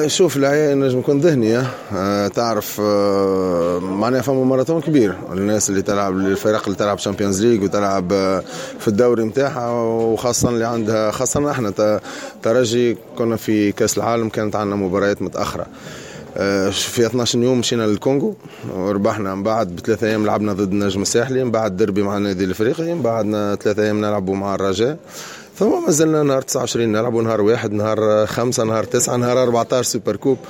شوف، العياء نجم يكون ذهني. تعرف معناها فما ماراثون كبير، الناس اللي تلعب، الفرق اللي تلعب Champions League وتلعب في الدوري نتاعها، وخاصة اللي عندها، خاصة احنا ترجي كنا في كاس العالم، كانت عندنا مباريات متاخره. في 12 يوم مشينا للكونغو وربحنا، من بعد ب3 ايام لعبنا ضد النجم الساحلي، من بعد دربي مع النادي الافريقي، من بعد 3 ايام نلعبوا مع الرجاء، ثم ما زلنا نهار 29 نلعبوا، نهار 1، نهار 5، نهار 9، نهار 14 super coupe.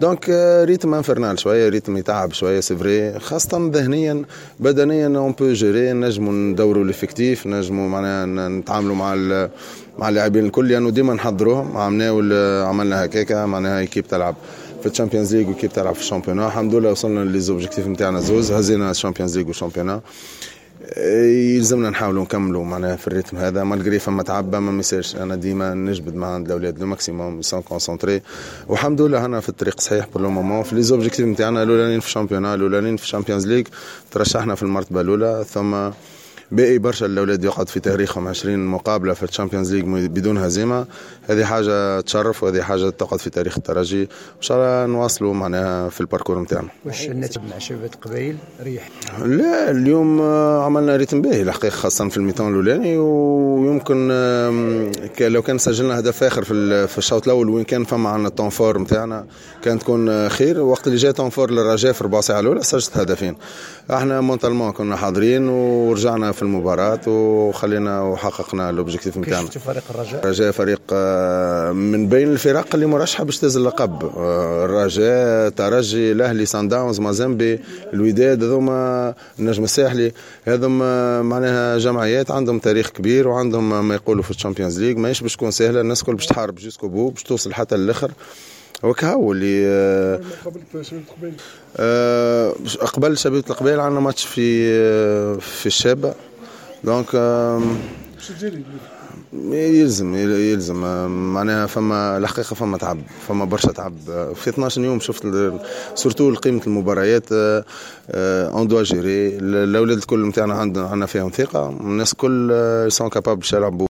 donc rythme infernal شويه، rythme يتعب شويه، c'est vrai، خاصة ذهنيا. بدنيا on peut gérer، نجموا ندوروا l'effectif، نجموا معناها نتعاملوا مع اللاعبين الكل، لانه يعني ديما نحضروهم. عملنا عملنا هكاكا، معناها équipe تلعب في ال Champions League و équipe تلعب في ال championnat. الحمد لله وصلنا les objectifs نتاعنا زوز، هزينا ال Champions League وال championnat. يلزمنا نحاولوا نكملوا معناها في ال rythme هذا، malgré فما تعب، ما ميسالش. انا ديما نجبد مع عند الاولاد le maximum، sont concentrés، والحمد لله انا في الطريق صحيح pour le moment في les objectifs نتاعنا، الاولانيين في ال championnat، الاولانيين في ال Champions League. ترشحنا في المرتبة الاولى، ثم باقي برشا الاولاد يقعد في تاريخهم 20 مقابله في ال Champions League بدون هزيمه. هذه حاجة تشرف وهذه حاجة تقعد في تاريخ الترجي. ان شاء الله نواصلوا معناها في ال parcours نتاعنا. واش النتيجة مع شبيبة القبائل ريح؟ لا، اليوم عملنا rythme باهي الحقيقه، خاصة في ال mi-temps الاولاني، ويمكن لو كان سجلنا هدف اخر في الشوط الاول وين كان فما عندنا temps fort نتاعنا كان تكون خير. وقت اللي جاء temps fort للرجاء في ربع ساعة الاولى سجلت هدفين. احنا mentalement كنا حاضرين ورجعنا في المباراة وخلينا وحققنا l'objectif نتاعنا. فريق الرجاء؟ الرجاء فريق من بين الفرق اللي مرشحة باش تهز اللقب. الرجاء، ترجي، الاهلي، سان داونز، مازامبي، الوداد، هذوما، النجم الساحلي، هذوما معناها جمعيات عندهم تاريخ كبير وعندهم ما يقولوا في ال Champions League. ماهيش باش تكون سهله، الناس الكل باش تحارب jusqu'au bout باش توصل حتى للاخر وكهو اللي قبل شبيبة القبائل عندنا ماتش في الشابه، donc يلزم معناها فما الحقيقة فما تعب، فما برشا تعب في 12 يوم. شفت surtout قيمة المباريات، on doit gérer. الاولاد الكل نتاعنا عندنا فيهم ثقه، الناس الكل sont capables باش يلعبوا.